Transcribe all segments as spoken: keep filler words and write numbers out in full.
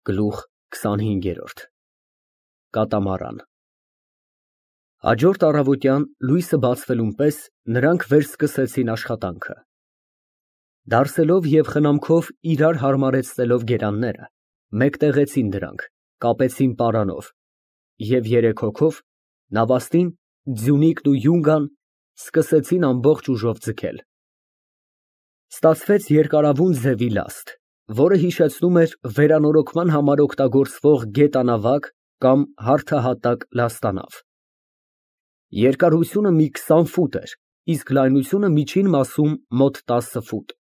Գլուխ քսանհինգ։ Կատամարան։ Հաջորդ առավոտյան լույսը բացվելուն պես նրանք վերսկսեցին աշխատանքը։ Դարսելով և խնամքով իրար հարմարեցնելով գերանները, մեկտեղեցին դրանք, կապեցին պարանով և երեք հոգով նավաստին, Ձյունիկն ու Յունգան սկսեցին ամբողջ ուժով ձգել։ Ստացվեց երկարավուն ձևի լաստ, որը հիշեցնում էր վերանորոգման համար օգտագործվող գետանավակ կամ հարթահատակ լաստանավ։ Երկարությունը մի քսան ֆուտ էր, իսկ լայնությունը միջին մասում մոտ տասը ֆուտ։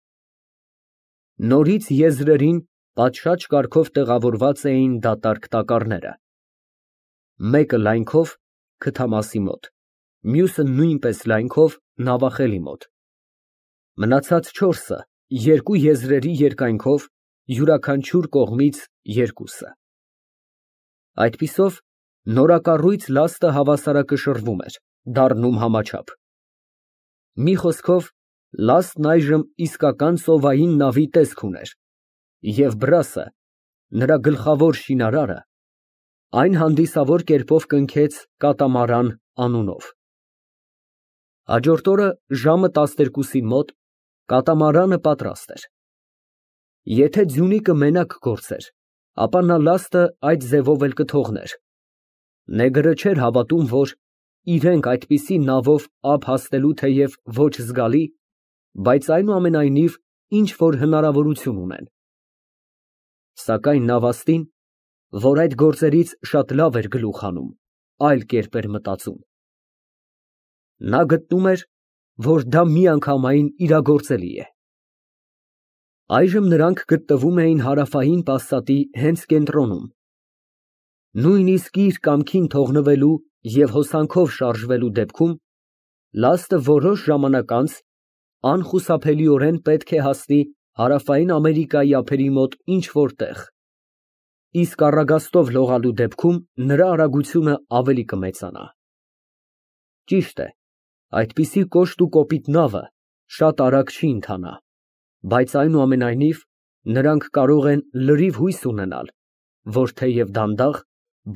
Նորից եզրերին պատշաճ կարգով տեղավորված էին դատարկ տակառները։ Մեկը լայնքով քթամասի մոտ, մյուսը նույնպես լայնքով նավախելի մոտ, մնացած չորսը երկու եզրերի երկայնքով, յուրաքանչյուր կողմից երկուսը։ Այդպիսով նորակառույց լաստը հավասարակշռվում էր, դառնում համաչափ։ Մի խոսքով, լաստն այժմ իսկական ծովային նավի տեսք ուներ, և բրասը, նրա գլխավոր շինարարը, այն հանդիսավոր կերպով կնքեց կատամարան անունով։ Հաջորդ օրը ժամը տասներկուսին մոտ կատամարանը պատրաստ էր։ Եթե Ձյունիկը մենակ գործեր, ապա նա լաստը այդ ձևով էլ կթողներ։ Նեգրը չէր հավատում, որ իրենք այդպիսի նավով ափ հասնելու թեև ոչ զգալի, բայց այնուամենայնիվ ինչ֊որ հնարավորություն ունեն։ Սակայն նավաստին, որ այդ գործերից շատ լավ էր գլուխ հանում, այլ կերպ էր մտածում։ Նա գտնում էր, որ դա միանգամայն իրագործելի է։ Այժմ նրանք գտնվում էին հարավային պասատի հենց կենտրոնում։ Նույնիսկ իր կամքին թողնվելու և հոսանքով շարժվելու դեպքում լաստը որոշ ժամանակ անց անխուսափելիորեն պետք է հասնի Հարավային Ամերիկայի ափերի մոտ ինչ֊որ տեղ, իսկ առագաստով լողալու դեպքում նրա արագությունը ավելի կմեծանա։ Ճիշտ է, այդպիսի կոշտ ու կոպիտ նավը շատ արագ չի ընթանա, բայց այնուամենայնիվ նրանք կարող են լրիվ հույս ունենալ, որ թեև դանդաղ,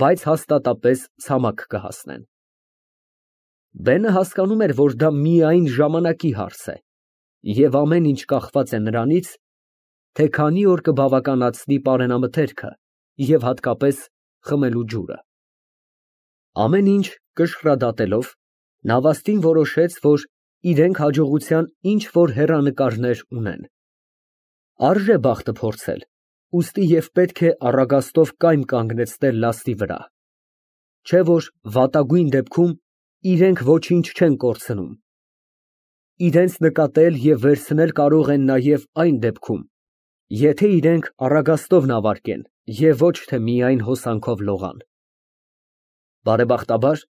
բայց հաստատապես ցամաք կհասնեն։ Բենը հասկանում էր, որ դա միայն ժամանակի հարց է, և ամեն ինչ կախված է նրանից, թե քանի օր կբավականացնի պարենամթերքը և հատկապես խմելու ջուրը։ Ամեն ինչ կշռադատելով, նավաստին որոշեց, որ իրենք հաջողության ինչ֊որ հեռանկարներ ունեն։ Արժե բախտը փորձել, ուստի և պետք է առագաստով կայմ կանգնեցնել լաստի վրա, չէ՞ որ վատագույն դեպքում իրենք ոչինչ չեն կորցնում։ Իրենց նկատել և վերցնել կարող են նաև այն դեպքում, եթե իրենք առագաստով նավարկեն և ոչ թե միայն հոսանքով լողան։ Բարեբախտաբար,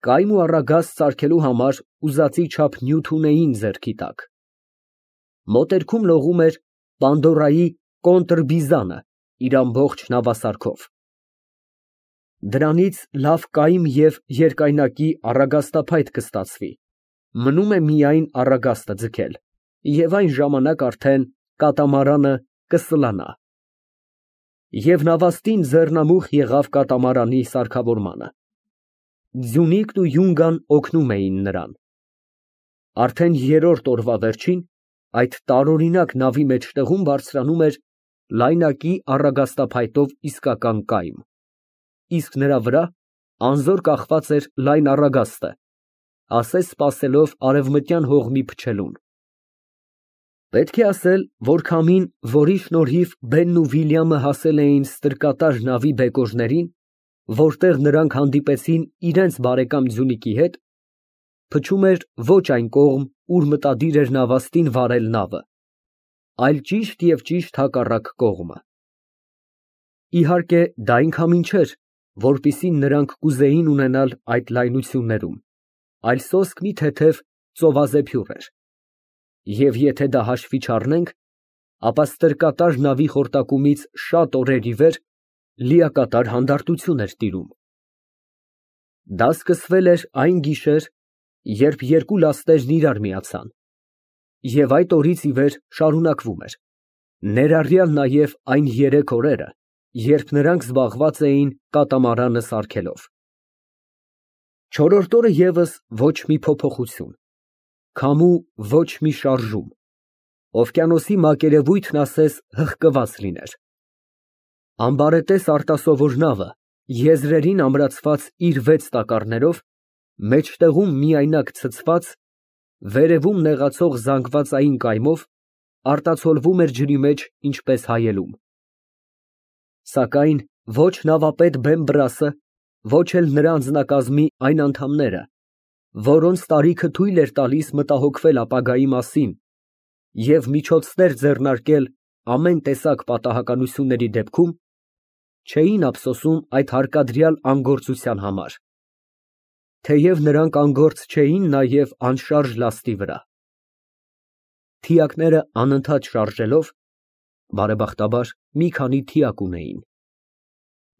կայմ ու առագաստ սարքելու համար ուզածի չափ նյութ ունեին ձեռքի տակ։ Մոտերքում լողում էր Պանդորայի կոնտրբիզանը իր ամբողջ նավասարքով։ Դրանից լավ կայմ և երկայնակի առագաստափայտ կստացվի, մնում է միայն առագաստը ձգել, և այն ժամանակ արդեն կատամարանը կսլանա։ Եվ նավաստին ձեռնամուխ եղավ կատամարանի սարքավորմանը։ Ձյունիկն ու Յունգան օգնում էին նրան։ Արդեն երրորդ օրվա վերջին այդ տարօրինակ նավի մեջտեղում բարձրանում էր լայնակի առագաստափայտով իսկական կայմ, իսկ նրա վրա անզոր կախված էր լայն առագաստը, ասես սպասելով արևմտյան հողմի փչելուն։ Պետք է ասել, որ քամին, որի շնորհիվ Բենն ու Վիլյամը հասել էին ստրկատար նավի բեկորներին, որտեղ նրանք հանդիպեցին իրենց բարեկամ Ձյունիկի հետ, փչում էր ոչ այն կողմ, ուր մտադիր էր նավաստին վարել նավը, այլ ճիշտ և ճիշտ հակառակ կողմը։ Իհարկե, դա այն քամին չէր, որպիսին նրանք կուզեին ունենալ այդ լայնություններում, այլ սոսկ մի թեթև ծովազեփյուռ էր, և եթե դա հաշվի չառնենք, ապա ստրկատար նավի խորտակումից շատ օրեր ի վեր լիակատար հանդարտություն էր տիրում։ Դա սկսվել էր այն գիշեր, երբ երկու լաստերն իրար միացան, և այդ օրից ի վեր շարունակվում էր, ներառյալ նաև այն երեք օրերը, երբ նրանք զբաղված էին կատամարանը սարքելով։ Չորրորդ օրը ևս ոչ մի փոփոխություն, քամու ոչ մի շարժում, օվկիանոսի մակերևույթն ասես հղկված լիներ։ Ամբարետես արտասովոր նավը, եզրերին ամրացված իր վեց տակառներով, մեջտեղում միայնակ ցցված, վերևում նեղացող զանգվածային կայմով, արտացոլվում էր ջրի մեջ, ինչպես հայելում։ Սակայն ոչ նավապետ Բեմբրասը, ոչ էլ նրա անձնակազմի այն անդամները, որոնց տարիքը թույլ էր տալիս մտահոգվել ապագայի մասին և միջոցներ ձեռնարկել ամեն տեսակ պատահականությունների դեպքում, չէին ափսոսում այդ հարկադրյալ անգործության համար, թեև նրանք անգործ չէին նաև անշարժ լաստի վրա։ Թիակները անընդհատ շարժելով, բարեբախտաբար մի քանի թիակ ունեին,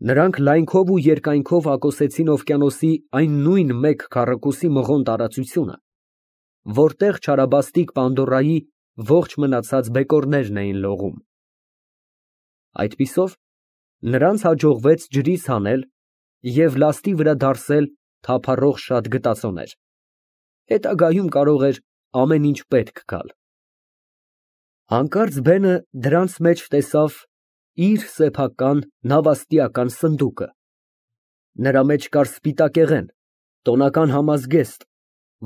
նրանք լայնքով ու երկայնքով հակոսեցին օվկիանոսի այն նույն մեկ քառակուսի մղոն տարածությունը, որտեղ չարաբաստիկ Պանդորայի ողջ մնացած բեկորներն էին լողում։ Այդպիսով նրանց հաջողվեց ջրից հանել և լաստի վրա դարսել թափառող շատ գտածոներ, հետագայում կարող էր ամեն ինչ պետք գալ։ Հանկարծ բենը դրանց մեջ տեսավ իր սեփական նավաստիական սնդուկը, նրա մեջ կար սպիտակեղեն, տոնական համազգեստ,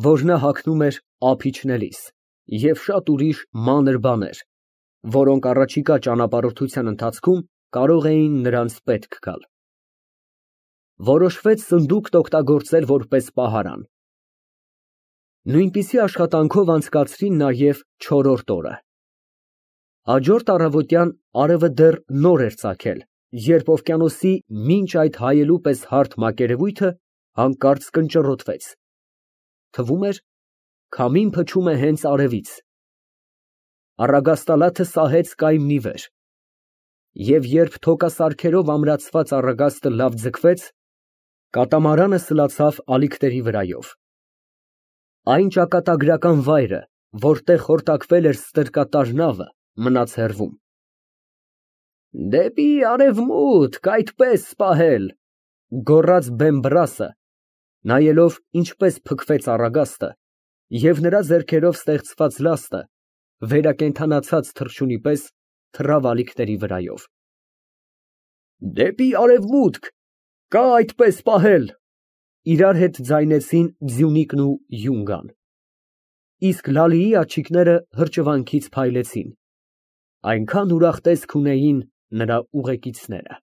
որ նա հագնում էր ափ իջնելիս, և շատ ուրիշ մանր բաներ, որոնք առաջիկա ճանապարհորդության ընթացքում կարող էին նրանց պետք գալ։ Որոշվեց սնդուկն օգտագործել որպես պահարան։ Նույնպիսի աշխատանքով անցկացրին նաև չորրորդ օրը։ Հաջորդ առավոտյան արևը դեռ նոր էր ծագել, երբ օվկիանոսի մինչ այդ հայելու պես հարթ մակերևույթը հանկարծ կնճռոտվեց, թվում էր, քամին փչում է հենց արևից։ Առագաստալաթը սահեց կայմն ի վեր, և երբ թոկասարքերով ամրացված առագաստը լավ ձգվեց, կատամարանը սլացավ ալիքների վրայով։ Այն ճակատագրական վայրը, որտեղ խորտակվել էր ստրկատար նավը, մնաց հեռվում։ «Դեպի արևմուտք, այդպես պահել», ֊ գոռաց Բեմբրասը, նայելով ինչպես փքվեց առագաստը, և նրա ձեռքերով ստեղծված լաստը, վերակենդանացած թռչունի պես, թռավ ալիքների վրայով։ «Դեպի արևմուտք, կա այդպես պահել», ֊ իրար հետ ձայնեցին Ձյունիկն ու Յունգան, իսկ Լալիի աջիկները հրճվանքից փայլեցին, այնքան ուրախ տեսք ունեին նրա ուղեկիցները։